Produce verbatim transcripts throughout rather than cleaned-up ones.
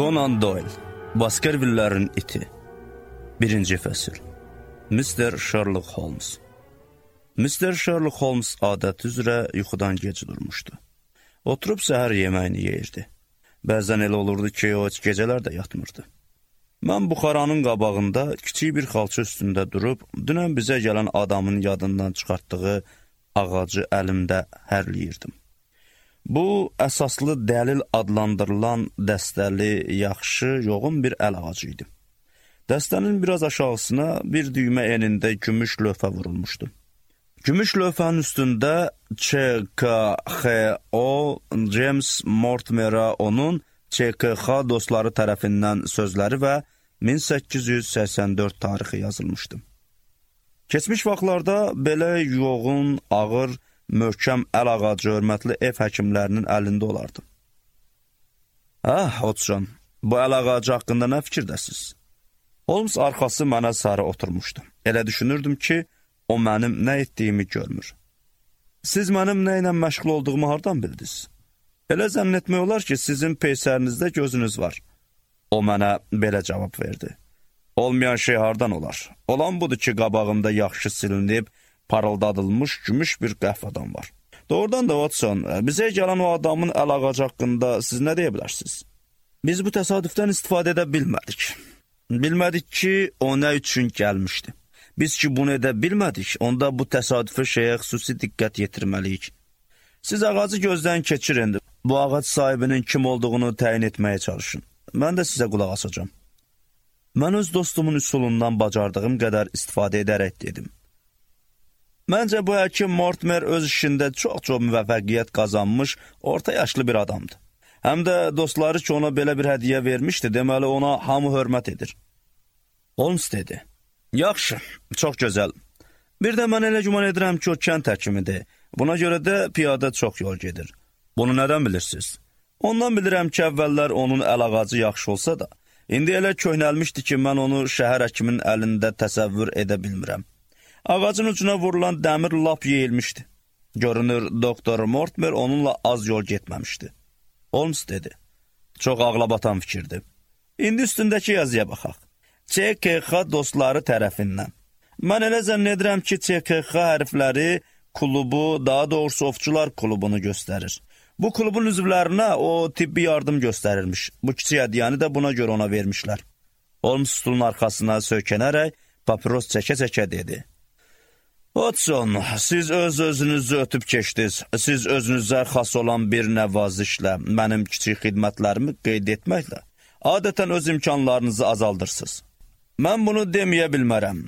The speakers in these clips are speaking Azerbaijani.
Conan Doyle, Baskerville'lərin iti. Birinci fəsil. mister Sherlock Holmes. mister Sherlock Holmes adəti üzrə yuxudan gec durmuşdu. Oturub səhər yeməyini yeyirdi. Bəzən elə olurdu ki, o heç gecələr də yatmırdı. Mən buxaranın qabağında kiçik bir xalça üstündə durub, dünən bizə gələn adamın yadından çıxartdığı ağacı əlimdə hərləyirdim. Bu, əsaslı dəlil adlandırılan dəstəli, yaxşı, yoğun bir əl ağacı idi. Dəstənin biraz aşağısına bir düymə enində gümüş lövhə vurulmuşdu. Gümüş lövhənin üstündə Ç K X O James Mortimer'a onun Ç K X dostları tərəfindən sözləri və min səkkiz yüz səksən dörd tarixi yazılmışdı. Keçmiş vaxtlarda belə yoğun, ağır, möhkəm əl ağacı hörmətli ev həkimlərinin əlində olardı. Hə, Hodson, bu əl ağacı haqqında nə fikirdəsiz? Holmes arxası mənə sarı oturmuşdu. Elə düşünürdüm ki, o mənim nə etdiyimi görmür. Siz mənim nə ilə məşğul olduğumu hardan bildiniz? Elə zənn etmək olar ki, sizin peysərinizdə gözünüz var. O mənə belə cavab verdi. Olmayan şey hardan olar? Olan budur ki, qabağımda yaxşı silinib, parıldadılmış gümüş bir qəhvədan var. Doğrudan da Watson, bizə gələn o adamın əl ağacı haqqında siz nə deyə bilərsiniz? Biz bu təsadüfdən istifadə edə bilmədik. Bilmədik ki, o nə üçün gəlmişdi. Biz ki, bunu edə bilmədik, onda bu təsadüfü şeyə xüsusi diqqət yetirməliyik. Siz ağacı gözdən keçirin, bu ağac sahibinin kim olduğunu təyin etməyə çalışın. Mən də sizə qulaq asacağım. Mən öz dostumun üsulundan bacardığım qədər istifadə edərək dedim. Məncə bu həkim Mortimer öz işində çox-çox müvəffəqiyyət qazanmış, orta yaşlı bir adamdır. Həm də dostları ki, ona belə bir hədiyyə vermişdi, deməli ona hamı hörmət edir. Holmes dedi. Yaxşı, çox gözəl. Bir də mən elə güman edirəm ki, o kənd həkimidir. Buna görə də piyada çox yol gedir. Bunu nədən bilirsiniz? Ondan bilirəm ki, əvvəllər onun əl ağacı yaxşı olsa da, indi elə köhnəlmişdi ki, mən onu şəhər həkiminin əlində təsəvvür edə bilmirəm. Ağacın ucuna vurulan dəmir lap yeyilmişdi. Görünür, doktor Mortimer onunla az yol getməmişdi. Holmes dedi. Çox ağlabatan fikirdir. İndi üstündəki yazıya baxaq. Ç K X dostları tərəfindən. Mən elə zənn edirəm ki, Ç K X hərfləri klubu, daha doğrusu ovçular klubunu göstərir. Bu klubun üzvlərinə o tibbi yardım göstərirmiş. Bu kiçik hədiyyəni də buna görə ona vermişlər. Holmes stulun arxasına söykənərək papiros çəkə-çəkə dedi. Watson, siz öz-özünüzü ötüb keçdiniz. Siz özünüzə xas olan bir nəvazişlə, mənim kiçik xidmətlərimi qeyd etməklə, adətən öz imkanlarınızı azaldırsınız. Mən bunu deməyə bilmərəm.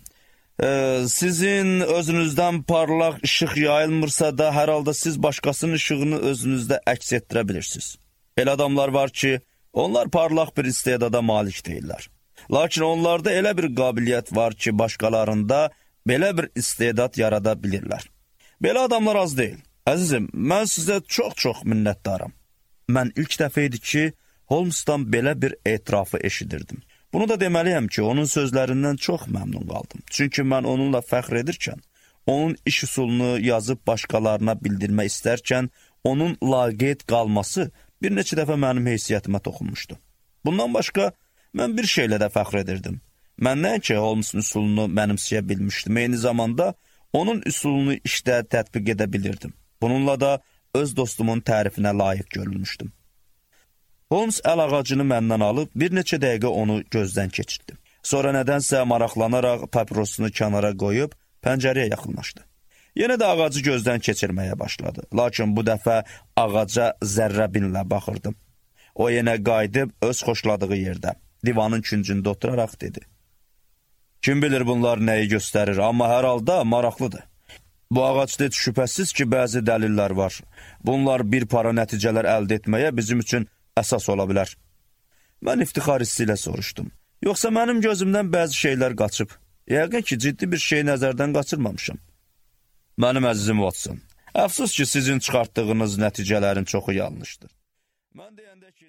Ee, sizin özünüzdən parlaq işıq yayılmırsa da, hər halda siz başqasının işığını özünüzdə əks etdirə bilirsiniz. Elə adamlar var ki, onlar parlaq bir istedada malik deyirlər. Lakin onlarda elə bir qabiliyyət var ki, başqalarında belə bir istedad yarada bilirlər. Belə adamlar az deyil. Əzizim, mən sizə çox-çox minnətdaram. Mən ilk dəfə idi ki, Holmes'dan belə bir etirafı eşidirdim. Bunu da deməliyəm ki, onun sözlərindən çox məmnun qaldım. Çünki mən onunla fəxr edirkən, onun iş üsulunu yazıb başqalarına bildirmək istərkən, onun laqeyd qalması bir neçə dəfə mənim heysiyyətimə toxunmuşdu. Bundan başqa, mən bir şeylə də fəxr edirdim. Mən nəinki Holmes'un üsulunu mənimsəyə bilmişdim, eyni zamanda onun üsulunu işdə tətbiq edə bilirdim. Bununla da öz dostumun tərifinə layiq görülmüşdüm. Holmes əl ağacını məndən alıb bir neçə dəqiqə onu gözdən keçirdi. Sonra nədənsə maraqlanaraq papirosunu kənara qoyub pəncərəyə yaxınlaşdı. Yenə də ağacı gözdən keçirməyə başladı. Lakin bu dəfə ağaca zərrəbinlə baxırdım. O yenə qayıdıb öz xoşladığı yerdə, divanın küncündə oturaraq dedi. Kim bilir bunlar nəyi göstərir, amma hər halda maraqlıdır. Bu ağacda şübhəsiz ki, bəzi dəlillər var. Bunlar bir para nəticələr əldə etməyə bizim üçün əsas ola bilər. Mən iftixar hissi ilə soruşdum. Yoxsa mənim gözümdən bəzi şeylər qaçıb. Yəqin ki, ciddi bir şey nəzərdən qaçırmamışam. Mənim əzizim Watson, əfsus ki, sizin çıxartdığınız nəticələrin çoxu yanlışdır. Mən deyəndə ki,